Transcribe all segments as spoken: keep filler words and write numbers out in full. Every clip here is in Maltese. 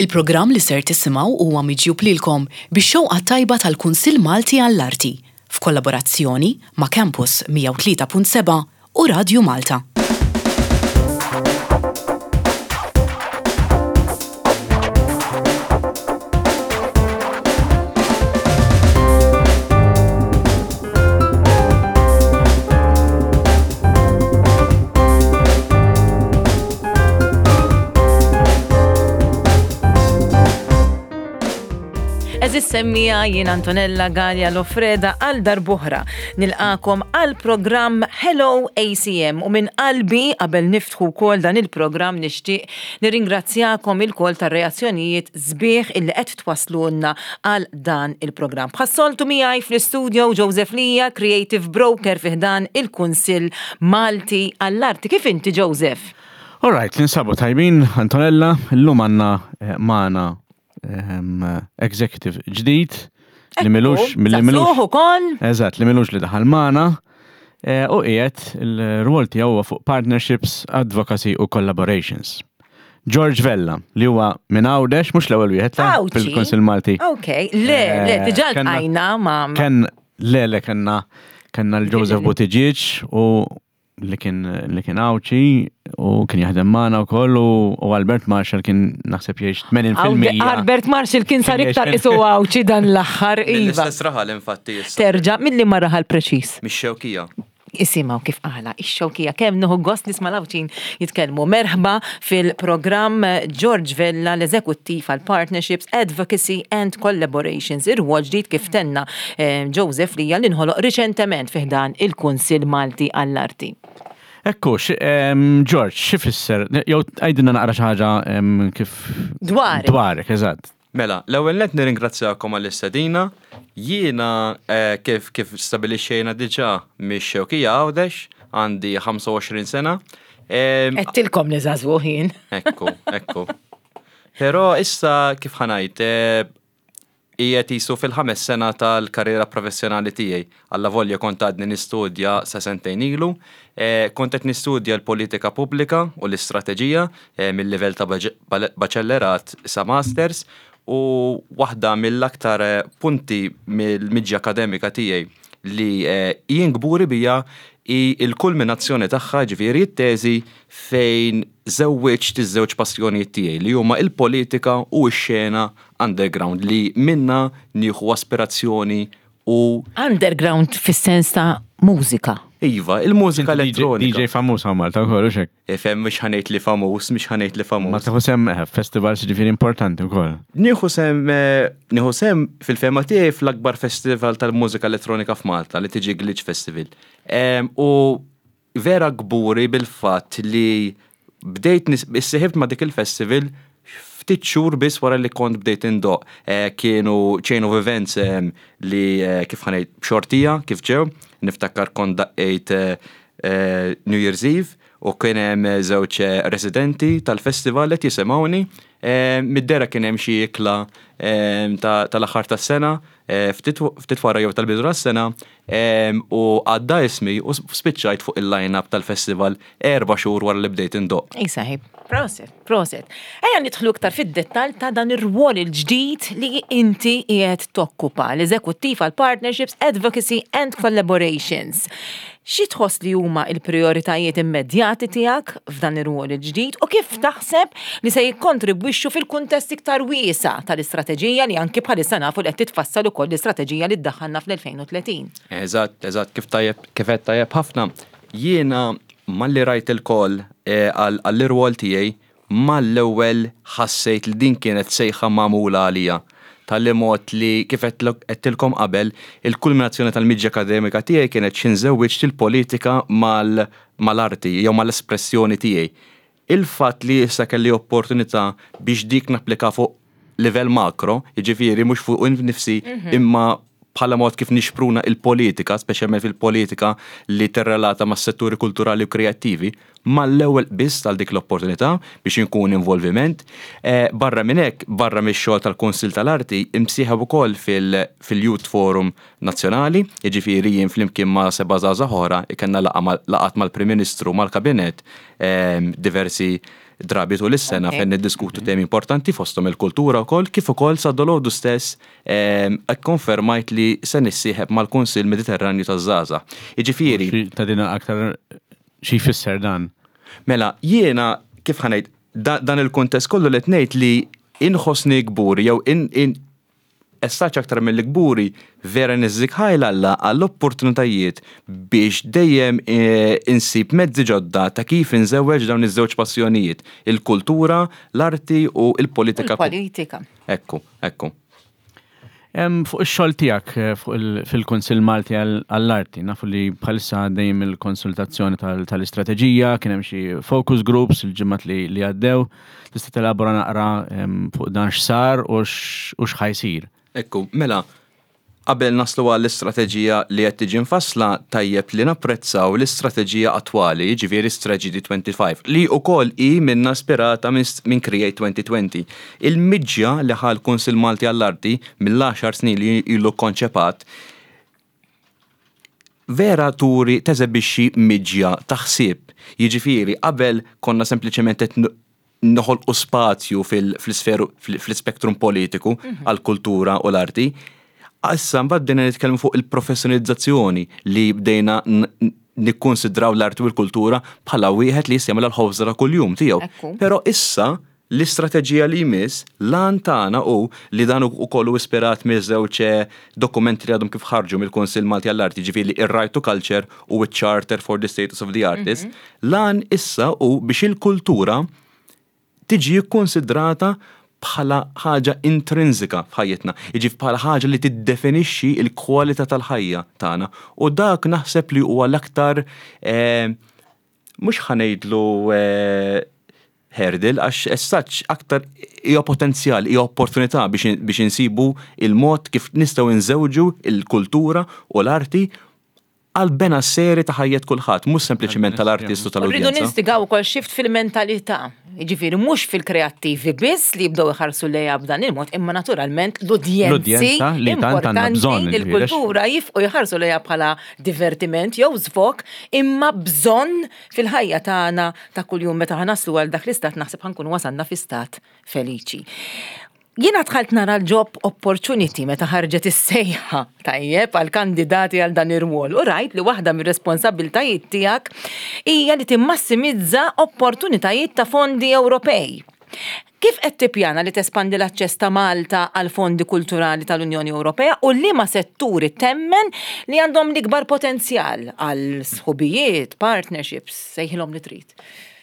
Il-programm li ser tisimgħu huwa miġjub lilkom bix-xewqa tajba tal-Kunsill Malti għall-Arti f'kollaborazzjoni ma' Campus mija u tlieta punt seba' u Radju Malta. Għeżież semmiegħa, jien Antonella Galea Lofreda għal darb'oħra nilqakom għal programm Hello A C M u minn qalbi, qabel niftħu wkoll dan il-programm, nixtieq nirringrazzjakom ilkoll tar-reazzjonijiet sbieħ illi qed twaslulna għal dan il-programm. Bħas-soltu miegħi fl-istudio Joseph Lija, Creative Broker fi ħdan il-Kunsill Malti għall-Arti. Kif inti, Joseph? All right, ninsabu tajbin, Antonella, illum għandna eh, magħna ehm, executive ġdid li m'ilux, li m'ilux, Żagħżugħ ukoll. Eżatt, li m'ilux li daħal magħna eh, u qiegħed il-rwol tiegħu huwa fuq partnerships, advocacy u collaborations. George Vella, li huwa minn Għawdex, mhux l-ewwel wieħed ta' Għawdxi? fil-Kunsill Malti. Ok, le, le, Eh, diġà kenna- ltqajna ma' Ken, le, le, kenna kenna l-Joseph Buttigieg u li kien li kien Għawdxi u kien jaħdem magħna wkoll u u Albert Marshall kien naħseb jgħix tmenin fil-mija. Albert Marshall kien sar Kien iktar jgħix isu Għawdxi dan l-aħħar, iva. Mill-istess raħal infatti issa. Terġa', milli ma raħal preċis? Mix-Xewkija. Isimgħu kif qala, ix-Xewkija, kemm nieħu gost nisma' l-Għawdxin jitkellmu. Merħba fil-programm, George Vella, l-eżekuttiv għal Partnerships, Advocacy and Collaborations. Ir-rwol ġdid, kif tenna eh, Joseph Lija, li nħoloq riċentement fi ħdan il-Kunsill Malti għall-Arti. Ekku, x- em, George, x'ifisser? Jew għidilna naqra xi ħaġa em, kif Dwarek. Dwarek, eżatt. Mela, l-ewwel net nirringrazzjakom għall-istedina. Jiena eh, kif kif stabilixxejna diġà mix-Xewkija, Għawdex, għandi ħamsa u għoxrin sena. Em, Għedtilkom li żagħżugħ jien. Ekku, ekku. Però issa, kif ħa ngħid, eh, qiegħed jisu fil-ħames sena tal-karriera professjonali tiegħi. Alla volja kont għadni nistudja sa sentejn ilu. Eh, kont qed nistudja l-politika pubblika u l-istrateġija eh, mill-livell ta' baġ- bal- baċellerat sa masters u waħda mill-aktar eh, punti mill-miġja akademika tiegħi li eh, jien kburi bija hi il-kulminazzjoni tagħha, ġifieri t-teżi fejn żewwiġt iż-żewġ passjonijiet tiegħi li huma il-politika u x-xena underground li minna nieħu aspirazzjoni u Underground fis-sens ta' mużika. Iva, il-mużika D J elettronika. D J famuż hawn Malta wkoll, u xek. Ifhem, mhux ħa ngħid li famuż, mhux ħa ngħid li Ma famuż. tieħu sehem eh, festivals ġifieri importanti wkoll. Nieħu sehem eh, nieħu sehem fil-fehma tiegħi fl-akbar festival tal-mużika elettronika f'Malta li tiġi Glitch Festival. Em, U vera kburi bil-fatt li bdejt nis- issieħibt ma' dik il-festival ftit xhur biss wara li kont bdejt indoqq. Eh, Kienu chain of events em, li eh, kif ħa ngħid, b'xortija kif ġew, niftakar kont daqqejt eh, eh, New Year's Eve u kien hemm eh, żewġ eh, residenti tal-festival qed jisimgħuni. Eh, Mid-dera kien hemm xi ikla eh, ta- tal-aħħar tas-sena, eh, ftit ftit wara jew tal-bidu tas-sena, eh, u għadda ismi u spiċċajt fuq il-line-up tal-festival erba' xhur wara li bdejt indoqq. Ej saħib, proset, proset. Ejja nidħlu iktar fid-dettal ta' dan ir-rwol il-ġdid li inti qiegħed tokkupa, l-eżekuttiv għal Partnerships, Advocacy and Collaborations. Xi tħoss li huma il-prioritajiet immedjati tiegħek f'dan ir-rwol il-ġdid u kif taħseb li se jikkontribwixxu fil-kuntest iktar wiesa' tal-istrateġija li anki bħalissa nafu li qed titfassal ukoll, l-istrateġija li ddaħħalna fl-elfejn u tletin? Eżatt, eżatt, kif tajjeb, kif qed tajjeb ħafna. Jiena malli rajt il-call eh, għall- għall-irwol tiegħi, mal-ewwel ħassejt li din kienet sejħa magħmula għalija. Tal-li mod li kif għedtilkom qabel, il-kulminazzjoni tal-miġja akademika tiegħi kienet xi nżewwiġ il-politika mal- mal-arti jew mal-espressjoni tiegħi. Il-fatt li issa kelli opportunità biex dik napplika fuq livell makro, jiġifieri mhux fuq nifsi imma bħala mod kif nixpruna il-politika, speċjalment fil-politika li tirrelata mas setturi kulturali u kreattivi, mal-ewwel biss tal dik l-opportunità biex inkun involviment. Eh, barra minn hekk, barra mix-xogħol tal-Kunsill tal-Arti, imsieħeb ukoll fil-Youth Forum Nazzjonali, jiġifieri jien flimkien ma' seba' żgħażagħ oħra kellna laqgħat mal-Prim Ministru, mal-Kabinett, eh, diversi drabi tul is-sena fejn niddiskutu temi importanti, fosthom il-kultura wkoll, kif ukoll sa dalgħodu stess ikkonfermajt li se nissieħeb mal-Kunsill Mediterranju taż-Żgħażagħ. Jiġifieri. Ta' dina aktar xi jfisser dan? Mela, jiena kif ħa ngħid, dan il-kuntest kollu li ngħid li inħossni kburi jew in, in essaċ aktar mill-kburi, vera niżżik ħajr 'l Alla għall-opportunitajiet biex dejjem e, insib mezzi ġodda ta' kif inżewweġ dawn iż-żewġ passjonijiet, il-kultura, l-arti u il-politika. Il-politika. Ekku, ekku. Fuq ix-xogħol tiegħek eh, fuq fil-Kunsill Malti għall-Arti, nafu li bħalissa dejjem il-konsultazzjoni tal-istrateġija, kien hemm xi focus groups il-ġimgħat li għaddew. Tista' telabora naqra fuq dan, x'sar u x'ħa jsir? Ekku, mela, qabel naslu għall-istrateġija li qed tiġi mfassla, tajjeb li napprezzaw l-istrateġija attwali, ġifieri Strategy twenty-five, li wkoll hi minna ispirata minn Create twenty twenty. Il-miġja li ħa l-Kunsill Malti għall-Arti mill-għaxar snin li ilu konċepat vera turi teżebixxi miġja taħsib. Jiġifieri qabel konna sempliċement qed noħolqu spazju fil-sferu fil-spektrum politiku mhm. għal-kultura u l-arti. Issa mbagħad bdejna nitkellmu fuq il-professjonalizzazzjoni, li bdejna nikkonsidraw l-arti u l-kultura bħala wieħed li jista' jagħmel l-ħobża ta' kuljum tiegħu. Però issa l-istrateġija li jmiss, l-għan tagħna u li dan ukoll ispirat miż-żewġ dokumenti li għadhom kif ħarġu mill-Kunsill Malti għall-Arti, ġifieri ir-Right to Culture u ċ-Charter for the Status of the Artist, mhm. l-għan issa u biex il-kultura tiġi kkonsidrata bħala ħaġa intrinsika f'ħajjitna, jiġi bħala ħaġa li tiddefinixxi l-kwalità tal-ħajja tagħna. U dak naħseb li huwa l-aktar eh, mhux ħa ngħidlu eh, hurdle, għax essaċ aktar hija potenzjal, hija opportunità biex biex insibu il-mod kif nistgħu nżewġu il-kultura u l-arti għal benesseri ta' ħajjet kulħadd, mhux sempliċiment tal-artist u Rridu tal-udjenza. Nistigaw ukoll shift fil-mentalità. Jiġifieri mhux fil-kreattivi biss li jibdew iħarsu lejha b'dan il-mod, imma naturalment l-udjenzi L-udjenza li tant għandna importanti bżonn, li jiġifieri, l-kultura jifqu jħarsu lejha bħala divertiment jew żvog, imma bżonn fil-ħajja tagħna ta' kuljum. Meta ħa naslu għal dak l-istat, naħseb ħa nkunu wasalna fi stat feliċi. Jiena dħalt nara l-job opportunity meta ħarġet is-sejħa, tajjeb, għal kandidati għal dan ir-rwol u rajt li waħda mir-responsabbiltajiet tiegħek hija li timmassimizza opportunitajiet ta' fondi Ewropej. Kif qed tippjana li tespandi l-aċċess ta' Malta għal fondi kulturali tal-Unjoni Ewropea u liema setturi temmen li għandhom l-ikbar potenzjal għal sħubijiet, partnerships, sejħilhom li trid?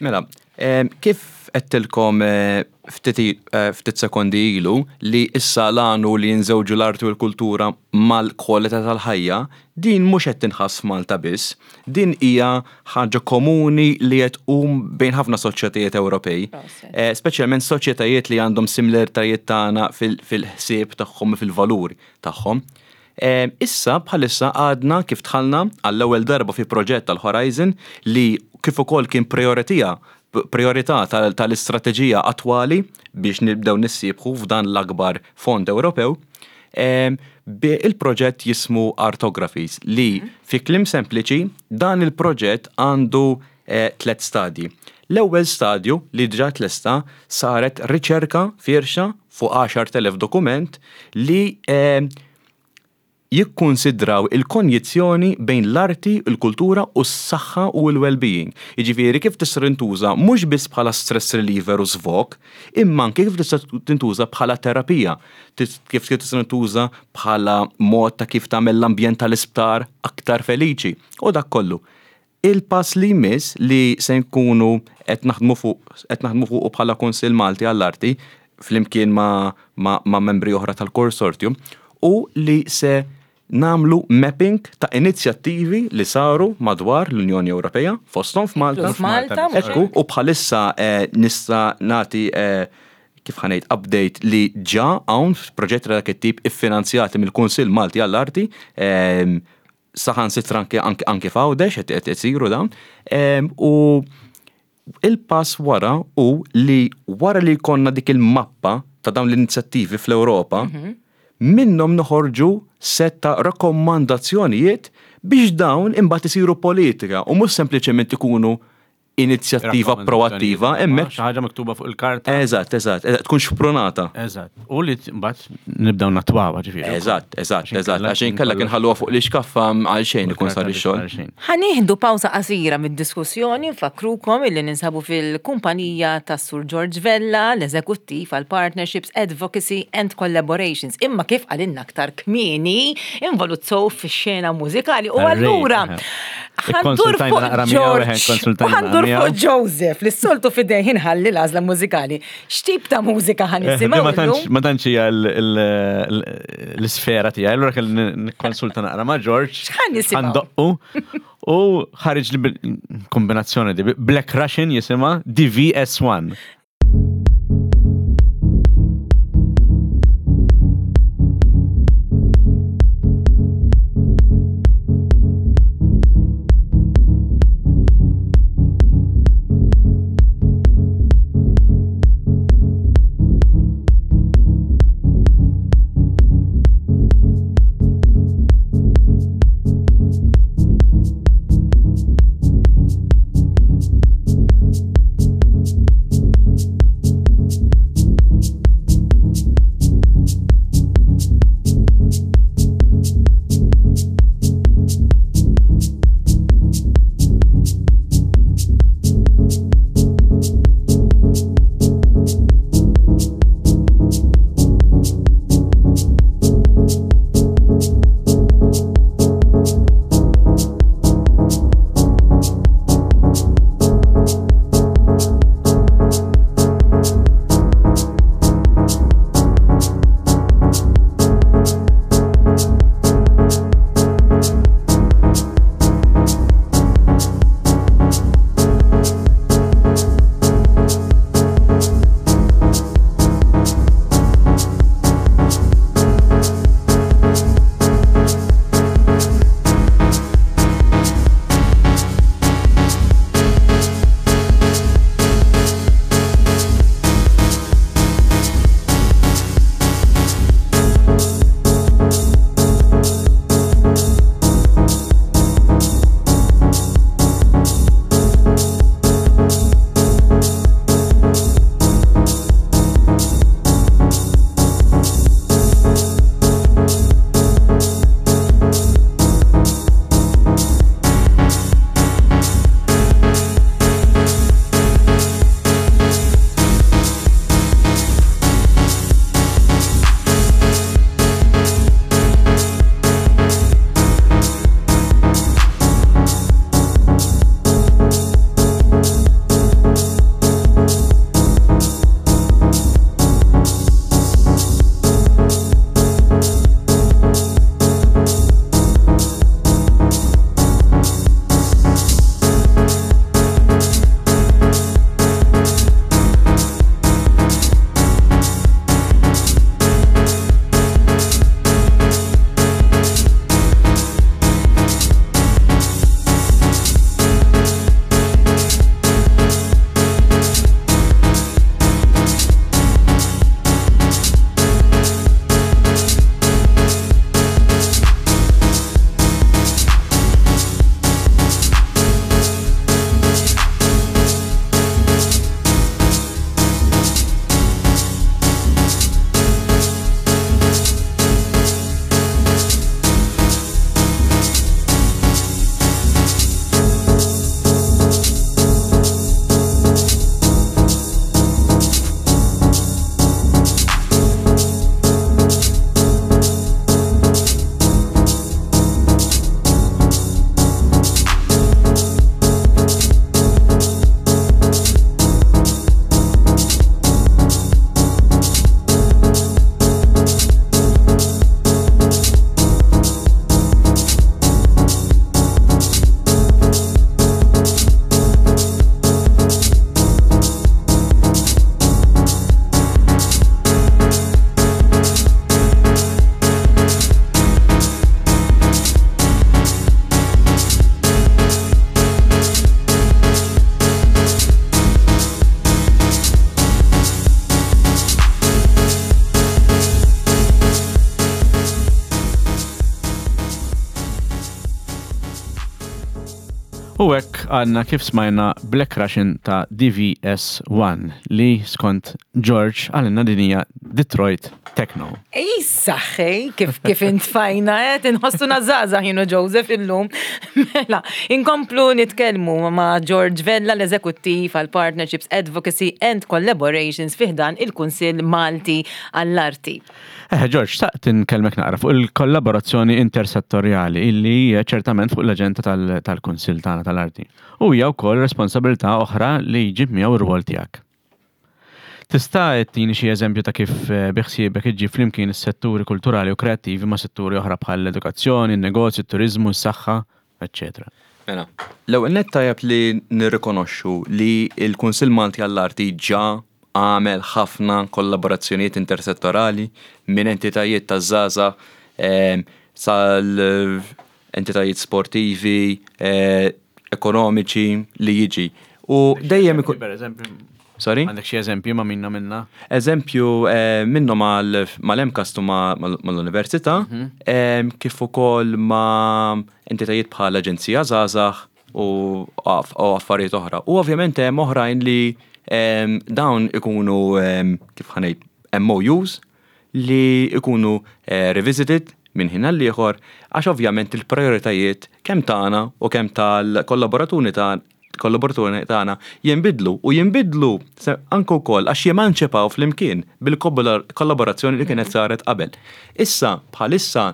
Mela, eh, kif għedtilkom eh, ftit eh, ftit sekondi ilu li issa l-għan hu li nżewġu l-arti u l-kultura mal-kwalità tal-ħajja, din mhux qed tinħass f'Malta biss, din hija ħaġa komuni li qed tqum bejn ħafna soċjetajiet Ewropej. Proset. Eh, Speċjalment soċjetajiet li għandhom similaritajiet tagħna fil- fil-ħsieb tagħhom u fil-valuri tagħhom. Eh, Issa bħalissa għadna kif dħalna għall-ewwel darba fi proġett tal-Horizon li kif ukoll kien prioritija priorità tal- tal-istrateġija attwali biex nibdew nissiebħu f'dan l-akbar fond Ewropew. Em, bi il-proġett jismu Artographies, li fi kliem sempliċi dan il-proġett għandu eh, tlet stadji. L-ewwel stadju li diġà tlesta, saret riċerka firxa fuq għaxart elef dokument li eh, jikkonsidraw il-konjizzjoni bejn l-arti, il-kultura u s-saħħa u l-well-being. Jiġifieri kif tista' tintuża mhux biss bħala stress reliever u svog, imma anke kif tista' tintuża bħala terapija, tis- kif tista' tintuża bħala mod ta' kif tagħmel l-ambjent tal-isptar aktar feliċi u dak kollu. Il-pass li jmiss li se nkunu qed naħdmu fuq qed naħdmu fuq bħala Kunsill Malti għall-Arti flimkien ma', ma, ma membri oħra tal-consortium u li se nagħmlu mapping ta' inizjattivi li saru madwar l-Unjoni Ewropea, fosthom f'Malta. F'Malta, mhux Ekku, u bħalissa eh, nista' nagħti eh, kif ħa ngħid update li ġa hawn proġetti ta' dak it-tip iffinanzjati mill-Kunsill Malti għall-Arti, ehm, saħansitra anke anke anke f'Għawdex qed qed isiru dawn. Ehm, u il-pass wara u li wara li jkollna dik il-mappa ta' dawn l-inizjattivi fl-Ewropa, minnhom noħorġu set ta' rakkomandazzjonijiet biex dawn imbagħad isiru politika u mhux sempliċement ikunu inizjattiva proattiva, hemmhekk Xi ħaġa miktuba fuq il-karta. Eżatt, eżatt, eżatt, tkun xprunata. Eżatt. U li mbagħad nibdew natwawha ġifieri. Eżatt, eżatt, eżatt, għax inkella kien ħalluha fuq l-iskaffa għal xejn ikun sar ix-xogħol. Ħa nieħdu pawsa qasira mid-diskussjoni, nfakkrukom illi ninsabu fil-kumpanija tas Sur George Vella, l-eżekuttiv għal Partnerships, Advocacy and Collaborations. Imma kif qalilna aktar kmieni, involut sew fix-xena mużikali u Tar-rave, allura eħe. ħa ndur Ikkonsultajna fuq naqra miegħu, eħe, George u ikkonsultajna ħa ndur naqra fuq miegħu. Joseph li s-soltu f'idejh inħalli l-għażla mużikali. X'tip ta' mużika ħa Eh, nisimgħu Ma tantx illum? ma tantx hija l- l- l- l-isfera tiegħi, allura kelli nikkonsulta naqra ma' George. X'ħa nisimgħu? Ħa ndoqqu. U ħareġ li bil- kombinazzjoni di Black Russian jisimha D V S one. U hekk għandna kif smajna Black Russian ta' D V S one li skont George għalina din hija Detroit Techno. Ej, saħħej, kif kif intfajna, qed inħossuna żgħażagħ jien u Joseph illum. Mela, inkomplu nitkellmu ma' George Vella, l-eżekuttiv għal Partnerships, Advocacy and Collaborations fi ħdan il-Kunsill Malti għall-Arti. Eh, George, xtaqt inkellmek naqra fuq il-kollaborazzjoni intersettorjali illi hija ċertament fuq l-aġenda tal- tal-Kunsill tagħna tal-Arti. U hija wkoll responsabilità oħra li jġib miegħu r-rwol tiegħek. Tista' ttini xi eżempju ta' kif eh, biħsiebek iġġib flimkien is-setturi kulturali u kreattivi ma' setturi oħra bħal l-edukazzjoni, il-negozju, it-turiżmu, s-saħħa, eċċetera? Mela, l-ewwel nett tajjeb li nirrikonoxxu li l-Kunsill Malti għall-Arti ġa għamel ħafna kollaborazzjonijiet intersettorali minn entitajiet ta' żgħażagħ em, sal entitajiet sportivi, eh, ekonomiċi li jiġi. U dejjem ikun. Per eżempju, Sorry? għandek xi eżempju ma' minna minna? Eżempju, eh, minnhom mal-MCAST u mal-Università, eh, kif ukoll ma' entitajiet bħal Aġenzija Żgħażagħ u aff- u affarijiet oħra. U ovvjament hemm oħrajn li em, dawn ikunu em, kif ħa ngħid, M O Us li ikunu eh, revisited minn ħin għal ieħor, għax ovvjament il-prioritajiet kemm tagħna u kemm tal-kollaboraturi tagħna kollaboraturi tagħna jinbidlu u jinbidlu se- anke wkoll għax jemanċipaw flimkien bil-kollaborazzjoni li kienet saret qabel. Issa bħalissa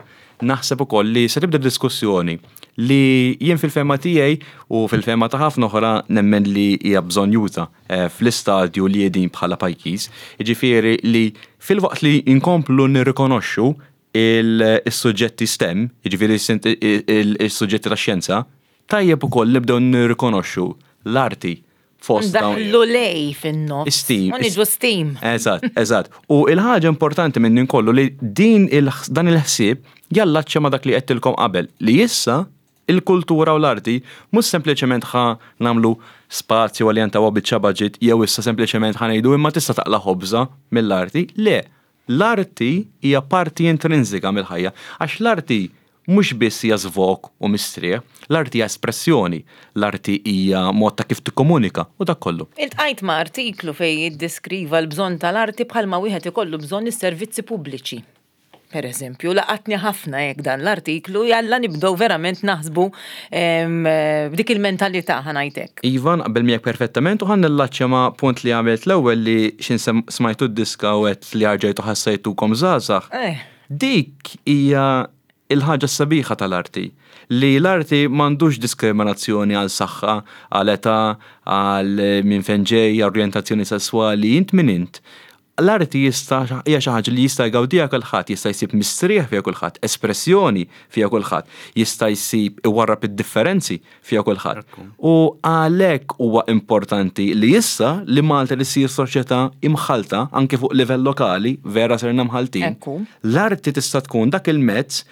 naħseb ukoll li se tibda diskussjoni li jien fil-fehma tiegħi u fil-fehma ta' ħafna oħra nemmen li hija bżonnjuża eh, fl-istadju li qegħdin bħala pajjiż. Jiġifieri li fil-waqt li inkomplu nirrikonoxxu il-suġġetti STEM, jiġifieri il-suġġetti ta' xjenza, tajjeb ukoll nibdew nirrikonoxxu l-arti fost dawn. Ndaħlu lej fin-nofs. Steam. U niġu steam. Eżatt, eżatt. U il-ħaġa importanti minn din kollu li din il dan il-ħsieb jallaċċa ma dak li għedtilkom qabel, li issa il-kultura u l-arti mhux sempliċement ħa nagħmlu spazju għal jantawa biċċa budget jew issa sempliċement ħa ngħidu imma tista' taqla ħobża mill-arti. Le, l-arti hija parti intrinsika mill-ħajja, għax l-arti mhux biss hija żvog u mistrieħ, l-arti hija espressjoni, l-arti hija mod ta' kif tikkomunika u dak kollu. Iltqajt ma' artiklu fej jiddeskriva l-bżonn tal-arti bħalma wieħed ikollu bżonn is-servizzi pubbliċi. Per eżempju, laqatni ħafna jekk dan l-artiklu, jalla nibdew verament naħsbu em, b'dik il-mentalità, ħa ngħidlek. Iva, naqbel miegħek perfettament u ħa nillaċċja ma' punt li għamilt l-ewwel li xin sem- smajtu d-diska u għedt li erġajtu ħassejtukom żgħażagħ. Eh. Dik hija il-ħaġa sabiħa tal-arti. Li l-arti m'għandux diskriminazzjoni għal saħħa, għal età, għal minn fejn ġej, orjentazzjoni sessuali, int min int. L-arti jista' hija xi ħaġa li jista' jgawdiha kulħadd, jista' jsib mistrieħ fiha kulħadd, espressjoni fiha kulħadd, jista' jsib iwarrab id-differenzi fiha kulħadd. U għalhekk huwa importanti li issa li Malta li ssir soċjetà imħalta anke fuq livell lokali, vera sirna mħaltin. Ekku. L-arti tista' tkun dak il-mezz,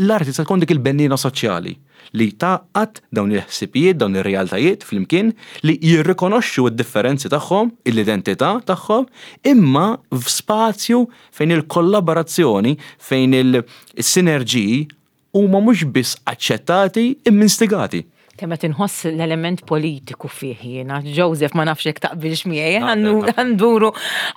l-arti tista' tkun dik il-bennina soċjali li tgħaqqad dawn il-ħsibijiet, dawn ir-realtajiet flimkien li jirrikonoxxu d-differenzi tagħhom, l-identità tagħhom, imma f'spazju fejn il-kollaborazzjoni, fejn il-sinerġiji huma mhux biss aċċettati imma instigati. Kemm qed inħoss l-element politiku fih jiena. Joseph, ma nafx jekk taqbilx miegħi, ħa nduru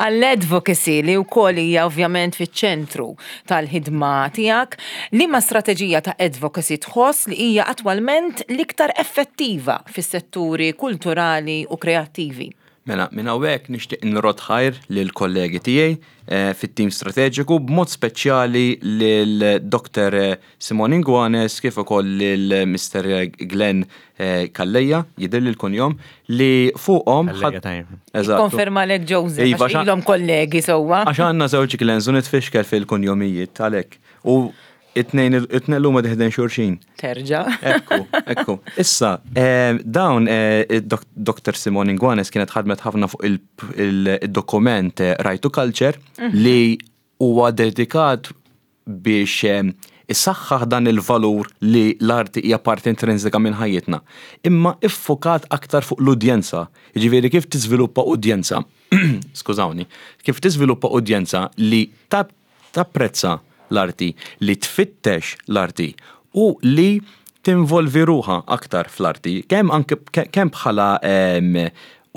għall-advocacy li wkoll hija ovvjament fiċ-ċentru tal-ħidma tiegħek. Liema strateġija ta' advocacy tħoss li hija attwalment l-iktar effettiva fis-setturi kulturali u kreattivi? Mela, minn hawnhekk nixtieq nrodd ħajr lil kollegi tiegħi eh, fit-tim strateġiku, b'mod speċjali lil Doktor Simon Inguanes kif ukoll lil Mister Glenn eh, Calleja, jidher li l-kunjom li fuqhom. Calleja, tajjeb. Eżatt. Konferma lek Joseph, Iva, għax xa- ilhom kollegi sewwa. Għax għandna żewġ Glens u nitfixkel fil-kunjomijiet għalhekk. U it-tnejn it-tnejn huma diħden xulxin. Terġa'. Ekku, ekku. Issa, eh, dawn eh, id-dok- Doktor Simon Inguanes kienet ħadmet ħafna fuq il- il- il-dokument eh, Right to Culture li huwa dedikat biex eh, isaħħaħ dan il-valur li l-arti hija parti intrinsika minn ħajjitna. Imma iffokat aktar fuq l-udjenza. Jiġifieri kif tiżviluppa udjenza, skużawni, kif tiżviluppa udjenza li tap- tapprezza l-arti, li tfittex l-arti u li Tinvolvi ruħha aktar fl-arti, kemm anke kemm bħala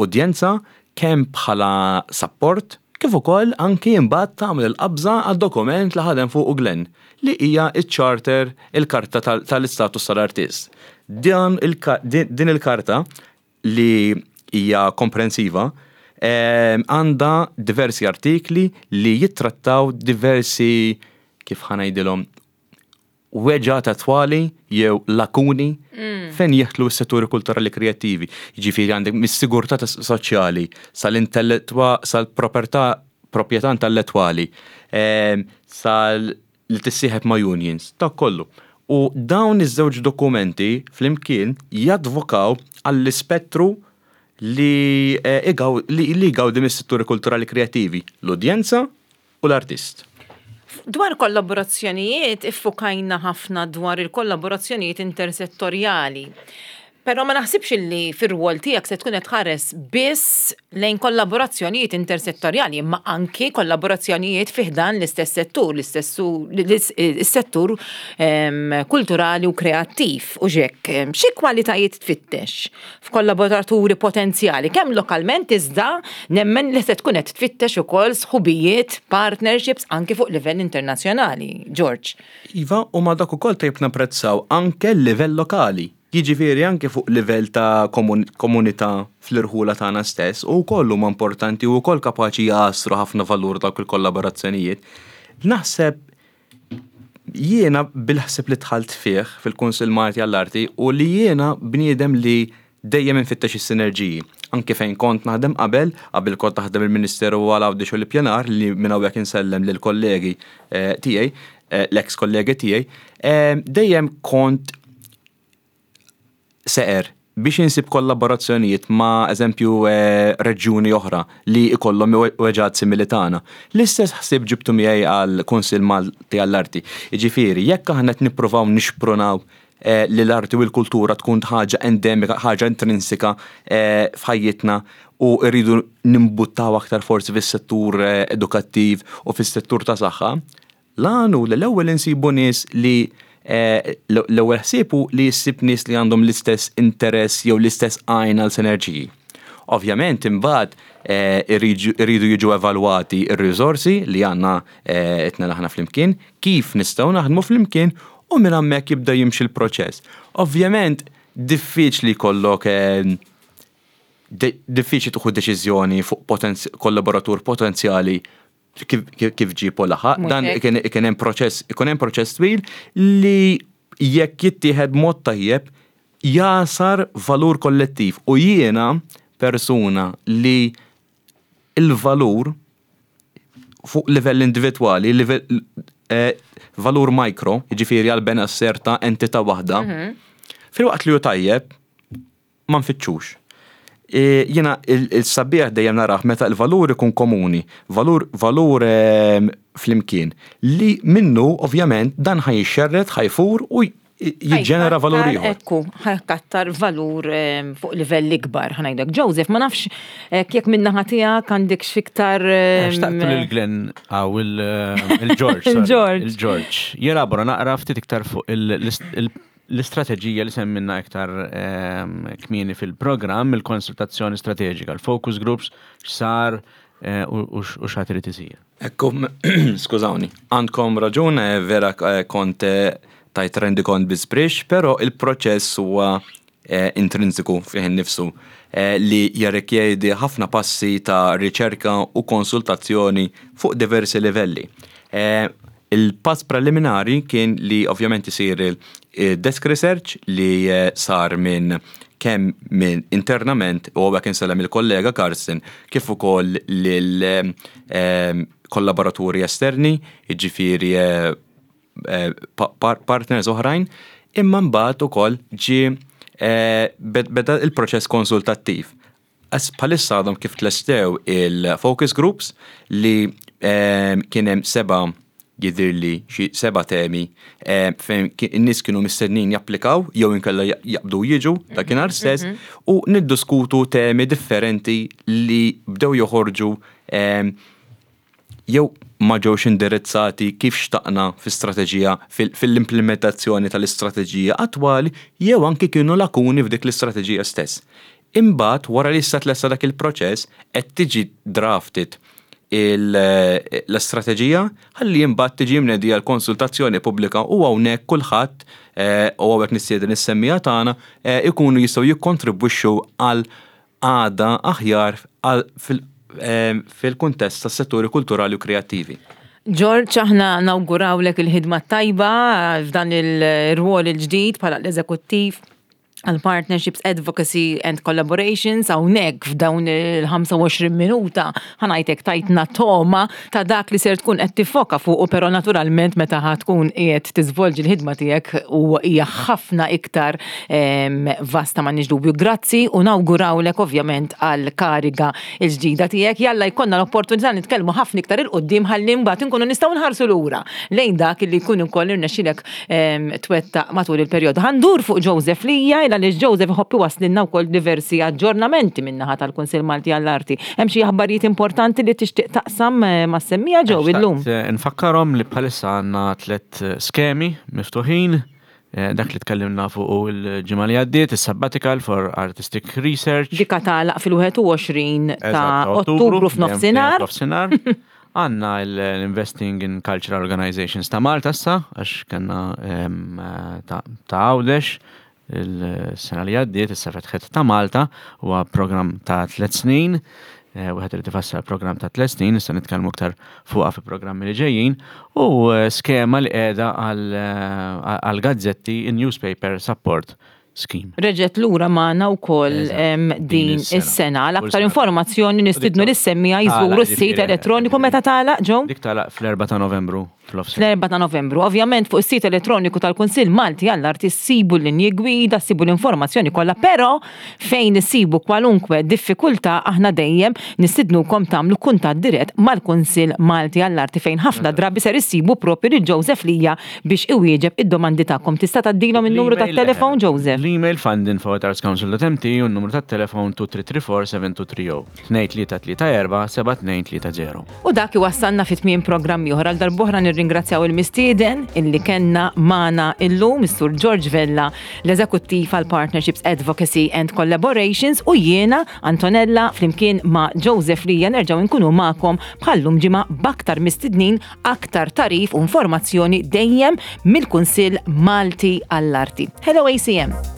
udjenza, kemm bħala support, kif ukoll anki imbagħad tagħmel il-qabża għad-dokument li ħadem fuq Glenn, li hija iċ-charter, il-karta tal-istatus tal-artist. Din il-karta li hija komprensiva għandha diversi artikli li jittrattaw diversi, kif ħa ngħidilhom, weġgħat attwali jew lakuni mm. fejn jidħlu s-setturi kulturali kreattivi. Ġifieri għandek mis-sigurtà soċjali sal-intellettwa, sal-proprjetà proprjetà intellettwali, sal li tissieħeb ma' unions, ta' kollu. U dawn iż-żewġ dokumenti flimkien jadvokaw għall-ispettru li eh, li jgawdi mis-setturi kulturali kreattivi, l-udjenza u l-artist. Dwar kollaborazzjonijiet, iffukajna ħafna dwar il-kollaborazzjonijiet intersettorjali. Però ma naħsibx li fir-rwol tiegħek se tkun qed tħares biss lejn kollaborazzjonijiet intersettorjali, imma anki kollaborazzjonijiet fi ħdan l-istess settur, l-istess settur kulturali u kreattiv. U ġek, xi kwalitajiet tfittex f'kollaboraturi potenzjali, kemm lokalment, iżda nemmen li se tkun qed tfittex ukoll sħubijiet, partnerships anki fuq livell internazzjonali. George. Iva, u ma dak ukoll tajb napprezzaw anke l-livell lokali. Jiġifieri anke fuq livell ta' komunità fl-irħula tagħna stess u wkoll huma importanti u wkoll kapaċi jagħsru ħafna valur dawk il-kollaborazzjonijiet. Naħseb jiena bil-ħsieb li dħalt fih fil-Kunsill Malti għall-Arti u li jiena bniedem li dejjem infittex is-sinerġiji. Anke fejn kont naħdem qabel, qabel kont naħdem il-Ministeru għal Għawdex u l-Ippjanar, li minn hawnhekk insellem lill kollegi eh, tiegħi, eh, l-ex kollegi tiegħi, eh, dejjem kont seqer biex insib kollaborazzjonijiet ma' eżempju eh, reġjuni oħra li ikollhom weġgħat simili tagħna. L-istess ħsieb ġibtu miegħi għal Kunsill Malti għall-Arti. Jiġifieri jekk aħna qed nippruvaw nixprunaw eh, li l-arti u l-kultura tkun ħaġa endemika, ħaġa intrinsika eh, f'ħajjitna u rridu nimbuttaw aktar forsi fis-settur edukattiv u fis-settur ta' saħħa, l-għanu li l-ewwel insibu nies li Eh, l-ewwel ħsiebu li jissib nies li għandhom l-istess interess jew l-istess għajn għal sinerġiji. Ovvjament imbagħad eh, irridu jiġu evalwati ir-riżorsi li għandna eh, etna aħna flimkien, kif nistgħu naħdmu flimkien u minn hemmhekk jibda jimxi l-proċess. Ovvjament diffiċli jkollok diffiċli tieħu deċiżjoni fuq kollaboratur potenzjali kif ġipu laħaq. Dan ikun hemm proċess, ikun hemm proċess twil li jekk jittieħed mod tajjeb jasar valur kollettiv. U jiena persuna li il-valur fuq livell individwali, livell eh, valur mikro, jiġifieri għal benesseri ta' entità waħda, mhm. filwaqt li hu tajjeb, ma nfittxux. E, jiena il-sabiħ dejjem narah meta l-valur ikun komuni, valur valur ehm, flimkien, li minnu ovvjament dan ħa jixxerred, ħa jfur u jiġġenera valur ieħor. Ekku, ħa jkattar valur ehm, fuq livell ikbar, ħa ngħidlek. Joseph, ma nafx eh, jekk min-naħa tiegħek għandek x'iktar. Ehm, Xtaqtu lil Glenn għaw il-George. Il-George. Il-George. Jelabora naqra ftit iktar fuq l-istrateġija li semmejna iktar ehm, kmieni fil-programm, il-konsultazzjoni strateġika, il-focus groups, x'sar eh, u x'għad irid isir. Ekku, skużawni, għandkom raġun, eh, vera eh, kont tajt rendikont bi żbrixx, pero il-proċess huwa intrinsiku fih innifsu li jirrikjedi ħafna passi ta' riċerka u konsultazzjoni fuq diversi livelli. Il-pass preliminari kien li ovvjament isir il-desk research li eh, sar minn kemm minn internament u għawek insellem il-kollega Carsten kif ukoll lil eh, kollaboraturi esterni, jiġifieri eh, partners oħrajn, imma mbagħad ukoll ġie beda il-proċess konsultattiv. Bħalissa għadhom kif tlestew il-focus groups li kien hemm seba' jidhirli xi seba' temi eh, fejn in-nies kienu mistednin japplikaw jew inkella jaqbdu jiġu dakinhar mhm, stess mhm. u niddiskutu temi differenti li bdew joħorġu eh, jew ma ġewx indirizzati kif xtaqna fi-strateġija fil-implementazzjoni tal-istrateġija attwali jew anki kienu lakuni f'dik l-istrateġija stess. Imbagħad, wara li issa tlesta dak il-proċess, qed tiġi drafted l-istrateġija ħalli imbagħad tiġi mnedija l-konsultazzjoni pubblika u hawnhekk kulħadd, eh, u hawnhekk nistieden is-semmiegħa tagħna, eh, ikunu jistgħu jikkontribwixxu għal għada aħjar eh, fil-kuntest tas-setturi kulturali u kreattivi. George, aħna nawgurawlek il-ħidma tajba f'dan il-rwol il-ġdid bħala l-eżekuttiv għal Partnerships, Advocacy and Collaborations. Hawnhekk f'dawn il-ħamsa u għoxrin minuta, ħa ngħidlek, tajtna togħma ta' dak li ser tkun qed tiffoka fuq, però naturalment meta ħa tkun qiegħed tiżvolġi l-ħidma tiegħek u hija ħafna iktar vasta, m'għandniex dubju. Grazzi u nawgurawlek ovvjament għal kariga il-ġdida tiegħek. Jalla jkollna l-opportunità nitkellmu ħafna iktar 'il quddiem ħalli mbagħad inkunu nistgħu nħarsu lura lejn dak li jkun ukoll irnexxilek twettaq matul il-perjodu. Ħa ndur fuq Joseph Lija, għaliex Joseph iħobb iwasslilna wkoll diversi aġġornamenti min-naħa tal-Kunsill Malti għall-Arti. Hemm xi aħbarijiet importanti li tixtieq taqsam eh, mas-semmiegħa, Joe, illum? Eh, nfakkarhom li bħalissa għandna tliet eh, skemi miftuħin, dak li tkellimna fuq il-ġimgħa li għaddiet, is-Sabbatical for Artistic Research. Dika tagħlaq fil-wieħed u għoxrin ta' Ottubru f'nofsinhar. F'nofsinhar. Għandna l-Investing in Cultural Organizations ta' Malta issa, għax kellna ta' Għawdex il-sena li għaddiet, issa fetħet ta' Malta, huwa program ta' tliet snin, eh, wieħed irid ifassal program ta' tliet snin, issa nitkellmu aktar fuqha fi programmi li ġejjin, u eh, skema li qiegħda eh, għal gazzetti, in-Newspaper Support Scheme. Reġgħet lura magħna wkoll din is-sena. Għal aktar informazzjoni nistidnu lis-semmiegħa jżuru s-sit elettroniku. Meta tagħlaq, Joe? Dik tagħlaq fl-erba' ta' Novembru. Fl-erba' ta' Novembru. Ovvjament fuq is-sit elettroniku tal-Kunsill Malti għall-Arti ssibu l-linji gwida, ssibu l-informazzjoni kollha, però fejn issibu kwalunkwe diffikultà aħna dejjem nistidnukom tagħmlu kuntatt dirett mal-Kunsill Malti għall-Arti, fejn ħafna drabi ser issibu propju lil Joseph Lija biex iwieġeb id-domandi tagħkom. Tista' tgħaddilhom in-numru tat-telefon, Joseph? L-email fundinfo at artscouncil dot M T u n-numru tat-telefon tnejn tlieta tlieta erba' seba' tnejn tlieta zero. tnejn tlieta tlieta erba' seba' tnejn tlieta zero. U dak iwassalna fi tmiem programm ieħor. Għal darb'oħra nirringrazzjaw il-mistieden illi kellna magħna illum, Mr. George Vella, l-eżekuttiv għal Partnerships, Advocacy and Collaborations, u jiena Antonella flimkien ma' Joseph Lija nerġgħu nkunu magħkom bħallum ġimgħa b'aktar mistednin, aktar tagħrif u informazzjoni dejjem mill-Kunsill Malti għall-Arti. Hello A C M.